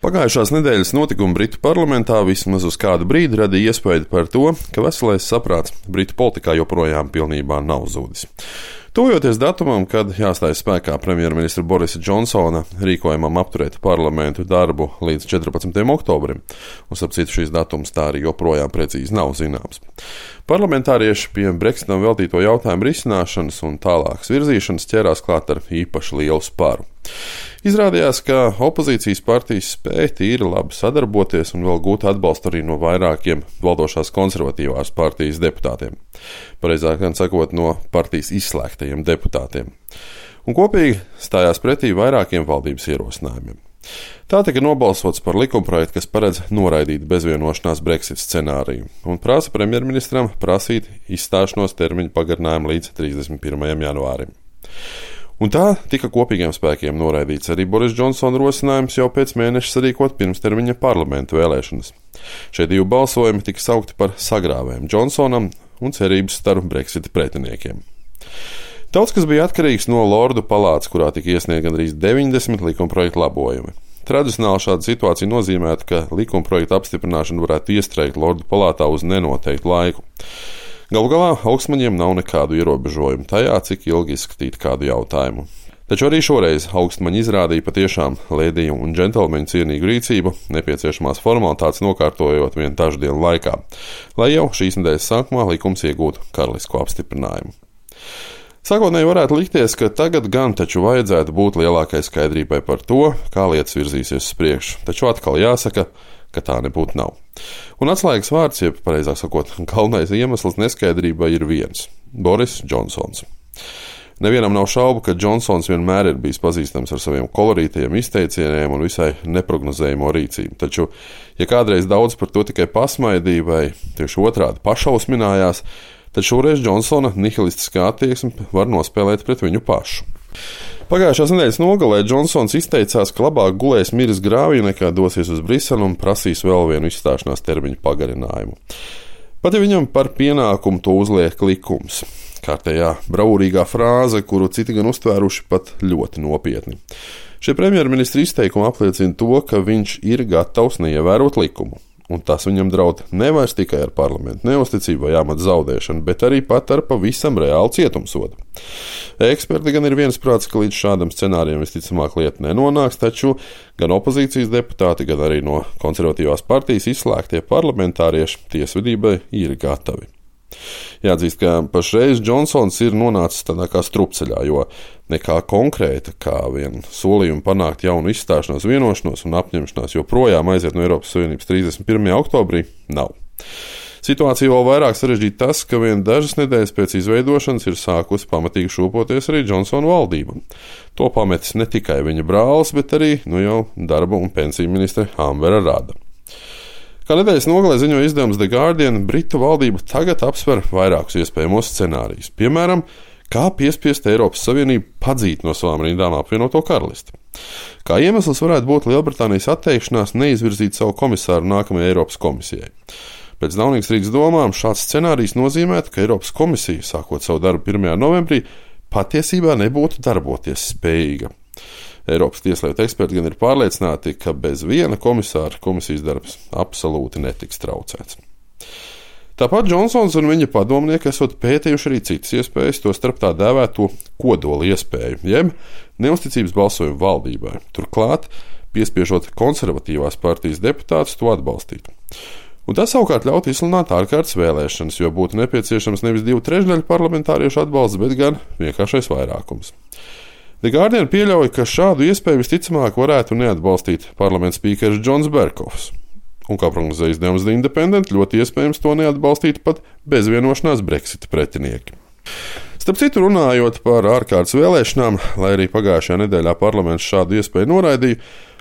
Pagājušās nedēļas notikumi Britu parlamentā vismaz uz kādu brīdi radīja iespēju par to, ka veselais saprāts Britu politikā joprojām pilnībā nav zudis. Tuvojoties datumam, kad jāstājas spēkā premjerministra Borisa Džonsona rīkojumam apturēt parlamentu darbu līdz 14. oktobrim, un starp citu šīs datums tā arī joprojām precīzi nav zināms. Parlamentārieši pie Brexitam veltīto jautājumu risināšanas un tālākas virzīšanas ķērās klāt ar īpaši lielu spāru. Izrādījās, ka opozīcijas partijas spēja tīri labi sadarboties un vēl gūt atbalstu arī no vairākiem valdošās konservatīvās partijas deputātiem. Pareizāk gan sakot, no partijas izslēgtajiem deputātiem. Un kopīgi stājās pretī vairākiem valdības ierosinājumiem. Tā tika nobalsots par likumprojektu, kas paredz noraidīt bezvienošanās Brexit scenāriju un prasa premjerministram prasīt izstāšanos termiņu pagarinājumu līdz 31. janvārim. Un tā tika kopīgiem spēkiem noraidīts arī Boris Džonsona rosinājums jau pēc mēneša sarīkot pirmstermiņa parlamentu vēlēšanas. Šie divi balsojumi tika saukti par sagrāvēm Džonsonam un cerības staru Brexita pretiniekiem. Daudz kas bija atkarīgs no Lordu palātas, kurā tika iesniegt gandrīz 90 likumprojektu labojumi. Tradicionāli šāda situācija nozīmētu, ka likumprojektu apstiprināšanu varētu iestrēgt Lordu palātā uz nenoteiktu laiku. Galu galā augstmaņiem nav nekādu ierobežojumu tajā, cik ilgi izskatīt kādu jautājumu. Taču arī šoreiz augstmaņi izrādīja patiešām lēdiju un džentelmeņu cienīgu rīcību, nepieciešamās formalitātes nokārtojot vien dažu dienu laikā, lai jau šīs nedēļas sākumā likums iegūtu karalisko apstiprinājumu. Sākotnēji varētu likties, ka tagad gan taču vajadzētu būt lielākai skaidrībai par to, kā lietas virzīsies uz priekšu, taču atkal jāsaka, ka tā nebūtu nav. Un atslēgas vārds, jeb pareizāk sakot, galvenais iemesls neskaidrībai ir viens – Boris Džonsons. Nevienam nav šaubu, ka Džonsons vienmēr ir bijis pazīstams ar saviem kolorītajiem izteicieniem un visai neprognozējamo rīcību. Taču, ja kādreiz daudz par to tikai pasmaidīja vai tieši otrādi pašausminājās, tad šoreiz Džonsona nihilistiskā attieksme var nospēlēt pret viņu pašu. Pagājušās nedēļas nogalē Džonsons izteicās, ka labāk gulēs miris grāvī nekā dosies uz Briseli un prasīs vēl vienu izstāšanās termiņu pagarinājumu. Pat ja viņam par pienākumu to uzliek likums. Kārtējā bravūrīgā frāze, kuru citi gan uztvēruši pat ļoti nopietni. Šie premjerministra izteikumi apliecina to, ka viņš ir gatavs neievērot likumu. Un tas viņam draud nevairs tikai ar parlamentu neusticību vai amata zaudēšanu, bet arī pat ar pavisam reālu cietumsodu. Eksperti gan ir viensprāts, ka līdz šādam scenārijam visticamāk lieta nenonāks, taču gan opozīcijas deputāti, gan arī no konservatīvās partijas izslēgtie parlamentārieši tiesvedībai ir gatavi. Jāatzīst, ka pašreiz Džonsons ir nonācis tādā kā strupceļā, jo nekā konkrēta, kā vien solījumu panākt jaunu izstāšanos vienošanos un apņemšanās joprojām aiziet no Eiropas Savienības 31. oktobrī, nav. Situācija vēl vairāk sarežģīta tas, ka vien dažas nedēļas pēc izveidošanas ir sākusi pamatīgi šūpoties arī Džonsona valdība. To pametis ne tikai viņa brālis, bet arī jau darba un pensiju ministre Ambera Rada. Kā nedēļas nogalē ziņoja izdevums The Guardian, Britu valdība tagad apsver vairākus iespējamos scenārijus. Piemēram, kā piespiest Eiropas Savienību padzīt no savām rindām apvienoto karalisti. Kā iemesls varētu būt Lielbritānijas atteikšanās neizvirzīt savu komisāru nākamajai Eiropas komisijai. Pēc Daunīgas Rīgas domām šāds scenārijs nozīmētu, ka Eiropas komisija, sākot savu darbu 1. novembrī, patiesībā nebūtu darboties spējīga. Eiropas tieslietu eksperti gan ir pārliecināti, ka bez viena komisāra komisijas darbs absolūti netiks traucēts. Tāpat Džonsons un viņa padomnieki esot pētījuši arī citas iespējas, tostarp tā dēvēto kodoli iespēju, jeb neusticības balsojumu valdībai, turklāt piespiežot konservatīvās partijas deputātus to atbalstīt. Un tas savukārt ļaut izsludināt ārkārtas vēlēšanas, jo būtu nepieciešams nevis 2/3 parlamentāriešu atbalsts, bet gan vienkāršais vairākums. The Guardian pieļauj, ka šādu iespēju visticamāk varētu neatbalstīt parlamenta spīkeris Džons Berkovs. Un, kā prognozēja izdevums The Independent, ļoti iespējams to neatbalstītu pat bezvienošanās Brexita pretinieki. Starp citu, runājot par ārkārtas vēlēšanām, lai arī pagājušajā nedēļā parlaments šādu iespēju noraidīja,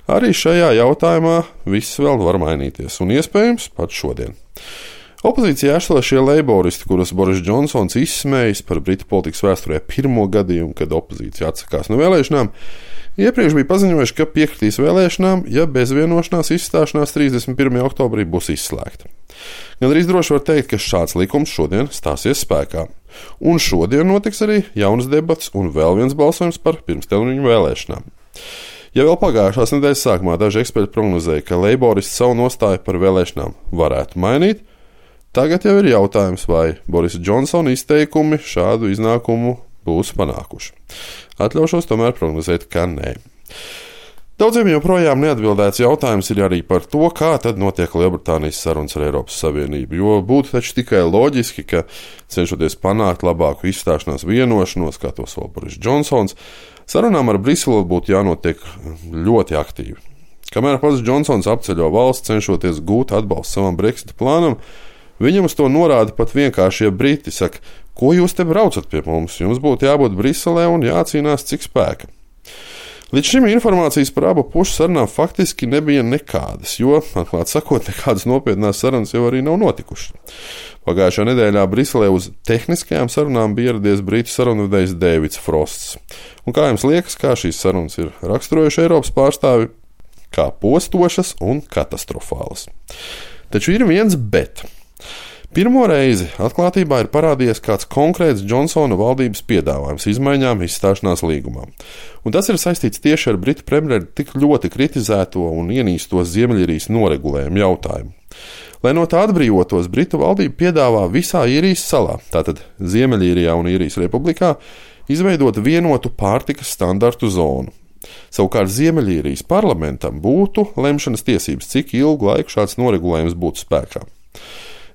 arī šajā jautājumā viss vēl var mainīties, un iespējams pat šodien. Opozīcijā esot šie leiboristi, kurus Boris Džonsons izsmējis par Britu politikas vēsturē pirmo gadījumu, kad opozīcija atsakās no vēlēšanām, iepriekš bija paziņojuši, ka piekritīs vēlēšanām, ja bezvienošanās izstāšanās 31. oktobrī būs izslēgta. Gan arī droši var teikt, ka šāds likums šodien stāsies spēkā. Un šodien notiks arī jaunas debats un vēl viens balsojums par pirmstermiņu vēlēšanām. Ja vēl pagājušās nedēļas sākumā daži eksperti prognozēja, ka leiboristi savu nostāju par vēlēšanām varētu mainīt, tagad jau ir jautājums, vai Borisa Džonsona izteikumi šādu iznākumu būs panākuši. Atļaušos tomēr prognozēt, ka nē. Daudziem joprojām neatbildēts jautājums ir arī par to, kā tad notiek Lielbritānijas sarunas ar Eiropas Savienību, jo būtu taču tikai loģiski, ka cenšoties panākt labāku izstāšanās vienošanos, kā to sola Boris Džonsons, sarunām ar Briseli būtu jānotiek ļoti aktīvi. Kamēr pats Džonsons apceļo valsts, cenšoties gūt atbalstu savam Brexita plānam, viņam uz to norāda pat vienkāršie briti, saka, ko jūs te braucat pie mums, jums būtu jābūt Briselē un jācīnās cik spēka. Līdz šim informācijas par abu pušu sarunām faktiski nebija nekādas, jo, atklāt sakot, nekādas nopietnās sarunas jau arī nav notikušas. Pagājušā nedēļā Briselē uz tehniskajām sarunām bija ieradies brītu sarunvedējs Deivids Frosts. Un kā jums liekas, kā šīs sarunas ir raksturojuši Eiropas pārstāvi? Kā postošas un katastrofālas. Taču ir viens bet. Pirmo reizi atklātībā ir parādījies kāds konkrēts Džonsona valdības piedāvājums izmaiņām izstāšanās līgumā. Un tas ir saistīts tieši ar Britu premjeru tik ļoti kritizēto un ienīsto Ziemeļīrijas noregulējumu jautājumu. Lai no tā atbrīvotos, Britu valdība piedāvā visā Īrijas salā, tātad Ziemeļīrijā un Īrijas republikā, izveidot vienotu pārtikas standartu zonu. Savukārt Ziemeļīrijas parlamentam būtu lemšanas tiesības, cik ilgu laiku šāds noregulējums būtu spēkā.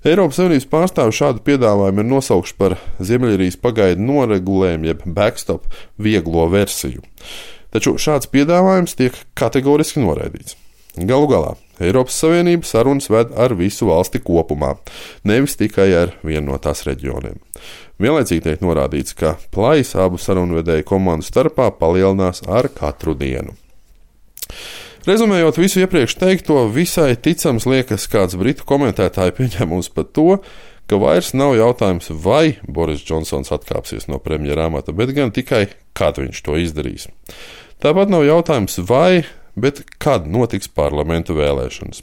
Eiropas Savienības pārstāvi šādu piedāvājumu ir nosaukuši par Ziemeļīrijas pagaidu noregulējumu, jeb backstop vieglo versiju. Taču šāds piedāvājums tiek kategoriski noraidīts. Galu galā Eiropas Savienība sarunas ved ar visu valsti kopumā, nevis tikai ar vienu no tās reģioniem. Vienlaicīgi tiek norādīts, ka plaisa abu sarunvedēju komandu starpā palielinās ar katru dienu. Rezumējot visu iepriekš teikto, visai ticams liekas kāds britu komentētāju pieņēmums par to, ka vairs nav jautājums, vai Boris Džonsons atkāpsies no premjera amata, bet gan tikai, kad viņš to izdarīs. Tāpat nav jautājums, vai, bet kad notiks parlamentu vēlēšanas.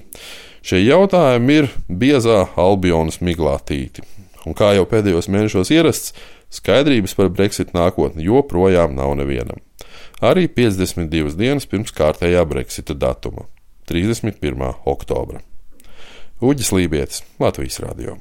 Šie jautājumi ir biezā Albionas miglātīti. Un kā jau pēdējos mēnešos ierasts, skaidrības par Brexit nākotni joprojām nav nevienam. Arī 52 dienas pirms kārtējā Brexita datuma – 31. oktobra. Uģis Lībietis, Latvijas radio.